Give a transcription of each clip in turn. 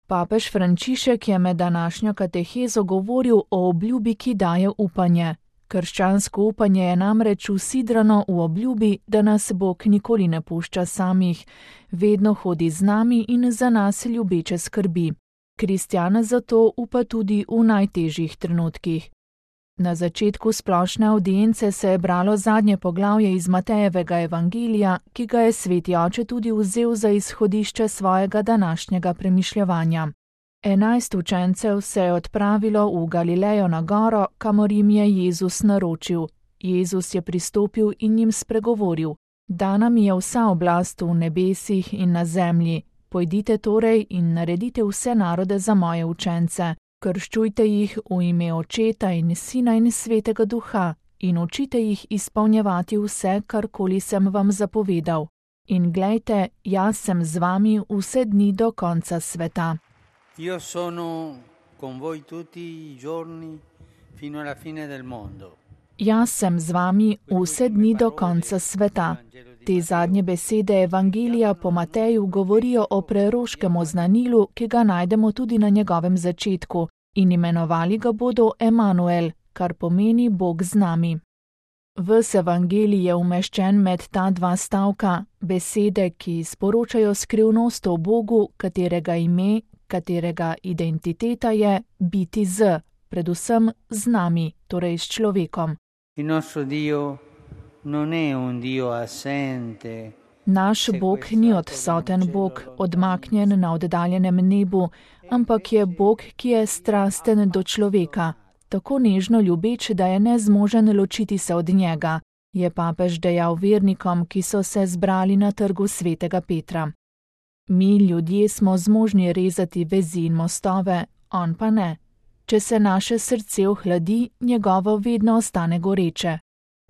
Papež Frančišek je med današnjo katehezo govoril o obljubi, ki daje upanje. Krščansko upanje je namreč usidrano v obljubi, da nas Bog nikoli ne pušča samih, vedno hodi z nami in za nas ljubeče skrbi. Kristjan zato upa tudi v najtežjih trenutkih. Na začetku splošne avdience se je bralo zadnje poglavje iz Matejevega evangelija, ki ga je sveti oče tudi vzel za izhodišče svojega današnjega premišljevanja. 11 učencev se je odpravilo v Galilejo na goro, kamor jim je Jezus naročil. Jezus je pristopil in jim spregovoril: Dana mi je vsa oblast v nebesih in na zemlji. Pojdite torej in naredite vse narode za moje učence. Krščujte jih v ime Očeta in Sina in Svetega Duha in učite jih izpolnjevati vse, karkoli sem vam zapovedal. In glejte, jaz sem z vami vse dni do konca sveta. Io sono con voi tutti I giorni fino alla fine del mondo. Jaz sem z vami vse dni do konca sveta. Te zadnje besede evangelija po Mateju govorijo o preroškem oznanilu, ki ga najdemo tudi na njegovem začetku, in imenovali ga bodo Emanuel, kar pomeni Bog z nami. Ves evangelij je umeščen med ta dva stavka, besede, ki sporočajo skrivnost o Bogu, katerega ime, katerega identiteta je biti z, predvsem z nami, torej s človekom. Il nostro Dio non è un Dio assente. Naš Bog ni odsoten Bog, odmaknjen na oddaljenem nebu, ampak je Bog, ki je strasten do človeka, tako nežno ljubeč, da je nezmožen ločiti se od njega, je papež dejal vernikom, ki so se zbrali na trgu svetega Petra. Mi, ljudje, smo zmožni rezati vezi in mostove, on pa ne. Če se naše srce ohladi, njegovo vedno ostane goreče.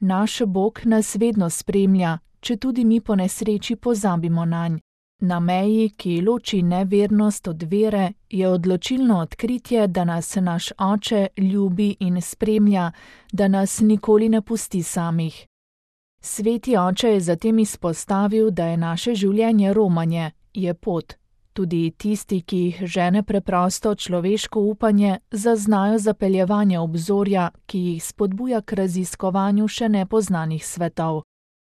Naš Bog nas vedno spremlja, če tudi mi po nesreči pozabimo nanj. Na meji, ki loči nevernost od vere, je odločilno odkritje, da nas naš Oče ljubi in spremlja, da nas nikoli ne pusti samih. Sveti Oče je zatem izpostavil, da je naše življenje romanje, je pot. Tudi tisti, ki jih žene preprosto človeško upanje, zaznajo zapeljevanje obzorja, ki jih spodbuja k raziskovanju še nepoznanih svetov.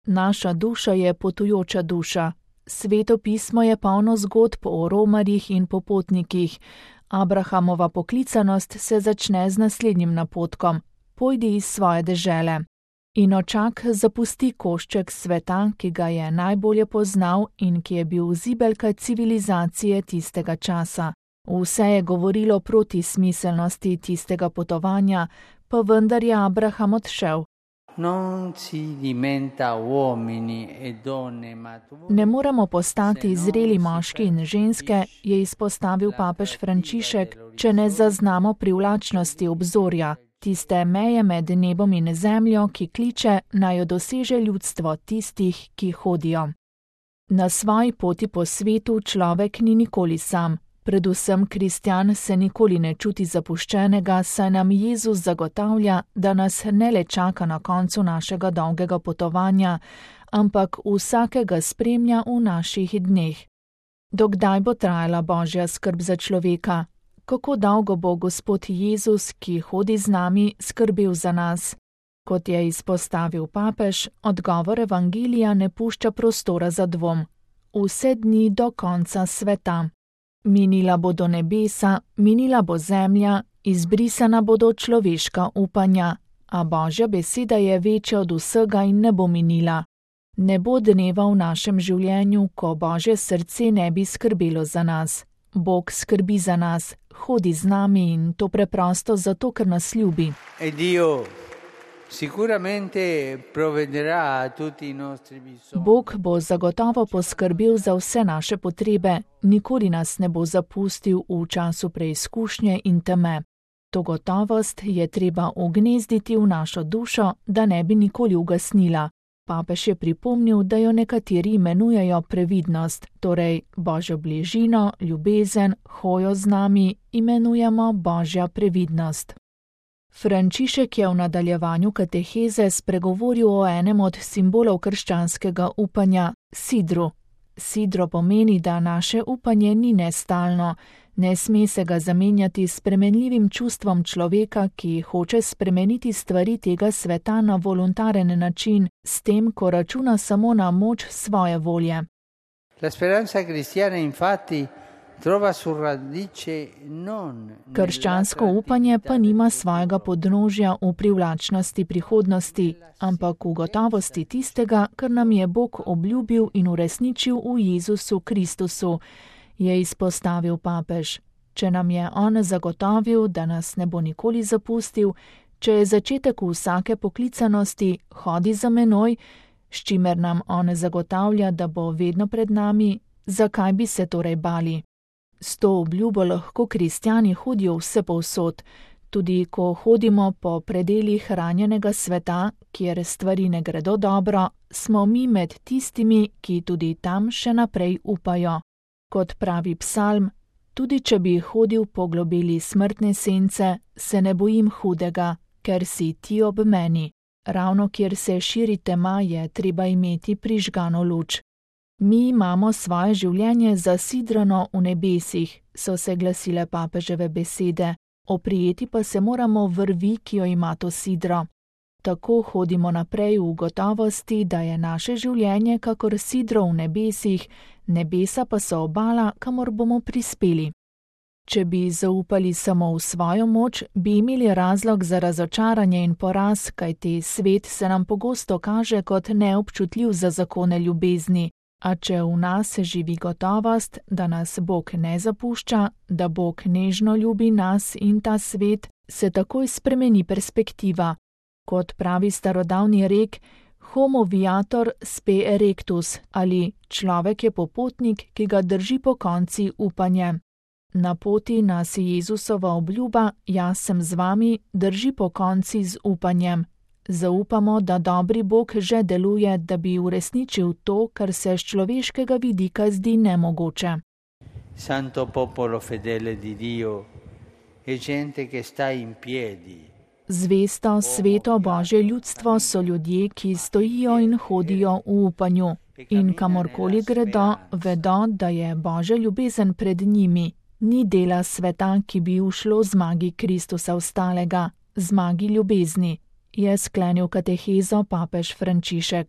Naša duša je potujoča duša. Sveto pismo je polno zgodb o romarjih in popotnikih. Abrahamova poklicanost se začne z naslednjim napotkom: pojdi iz svoje dežele. In očak zapusti košček sveta, ki ga je najbolje poznal in ki je bil zibelka civilizacije tistega časa. Vse je govorilo proti smiselnosti tistega potovanja, pa vendar je Abraham odšel. Ne moremo postati zreli moški in ženske, je izpostavil papež Frančišek, če ne zaznamo privlačnosti obzorja, tiste meje med nebom in zemljo, ki kliče, naj jo doseže ljudstvo tistih, ki hodijo. Na svoji poti po svetu človek ni nikoli sam. Predvsem kristjan se nikoli ne čuti zapuščenega, saj nam Jezus zagotavlja, da nas ne le čaka na koncu našega dolgega potovanja, ampak vsakega spremlja v naših dneh. Dokdaj bo trajala Božja skrb za človeka? Kako dolgo bo Gospod Jezus, ki hodi z nami, skrbel za nas? Kot je izpostavil papež, odgovor evangelija ne pušča prostora za dvom. Vse dni do konca sveta. Minila bodo nebesa, minila bo zemlja, izbrisana bodo človeška upanja, a Božja beseda je večja od vsega in ne bo minila. Ne bo dneva v našem življenju, ko Božje srce ne bi skrbelo za nas. Bog skrbi za nas, hodi z nami in to preprosto zato, ker nas ljubi. Bog bo zagotovo poskrbel za vse naše potrebe, nikoli nas ne bo zapustil v času preizkušnje in teme. To gotovost je treba ugnezditi v našo dušo, da ne bi nikoli ugasnila. Papež je pripomnil, da jo nekateri imenujejo previdnost, torej Božjo bližino, ljubezen, hojo z nami imenujemo Božja previdnost. Frančišek je v nadaljevanju kateheze spregovoril o enem od simbolov krščanskega upanja, sidru. Sidro pomeni, da naše upanje ni nestalno, Ne sme se ga zamenjati s spremenljivim čustvom človeka, ki hoče spremeniti stvari tega sveta na voluntaren način, s tem, ko računa samo na moč svoje volje. La speranza cristiana infatti trova su radice non. Krščansko upanje pa nima svojega podnožja v privlačnosti prihodnosti, ampak v gotovosti tistega, kar nam je Bog obljubil in uresničil v Jezusu Kristusu, je izpostavil papež. Če nam je on zagotovil, da nas ne bo nikoli zapustil, če je začetek vsake poklicanosti hodi za menoj, s čimer nam on zagotavlja, da bo vedno pred nami, zakaj bi se torej bali? S to obljubo lahko kristjani hodijo vsepovsod, tudi ko hodimo po predelih ranjenega sveta, kjer stvari ne gredo dobro, smo mi med tistimi, ki tudi tam še naprej upajo. Kot pravi psalm, tudi če bi hodil po globeli smrtne sence, se ne bojim hudega, ker si ti ob meni. Ravno kjer se širi tema, je treba imeti prižgano luč. Mi imamo svoje življenje zasidrano v nebesih, so se glasile papeževe besede, oprijeti pa se moramo vrvi, ki jo ima to sidro. Tako hodimo naprej v gotovosti, da je naše življenje kakor sidro v nebesih, nebesa pa so obala, kamor bomo prispeli. Če bi zaupali samo v svojo moč, bi imeli razlog za razočaranje in poraz, kajti svet se nam pogosto kaže kot neobčutljiv za zakone ljubezni. A če v nas živi gotovost, da nas Bog ne zapušča, da Bog nežno ljubi nas in ta svet, se takoj spremeni perspektiva. Kot pravi starodavni rek, homo viator spe erectus, ali človek je popotnik, ki ga drži po konci upanje. Na poti nas Jezusova obljuba, jaz sem z vami, drži po konci z upanjem. Zaupamo, da dobri Bog že deluje, da bi uresničil to, kar se z človeškega vidika zdi nemogoče. Santo popolo fedele di Dio e gente che sta in piedi. Zvesto, sveto Božje ljudstvo so ljudje, ki stojijo in hodijo v upanju. In kamorkoli gredo, vedo, da je Božja ljubezen pred njimi. Ni dela sveta, ki bi ušlo zmagi Kristusa ostalega, zmagi ljubezni, je sklenil katehezo papež Frančišek.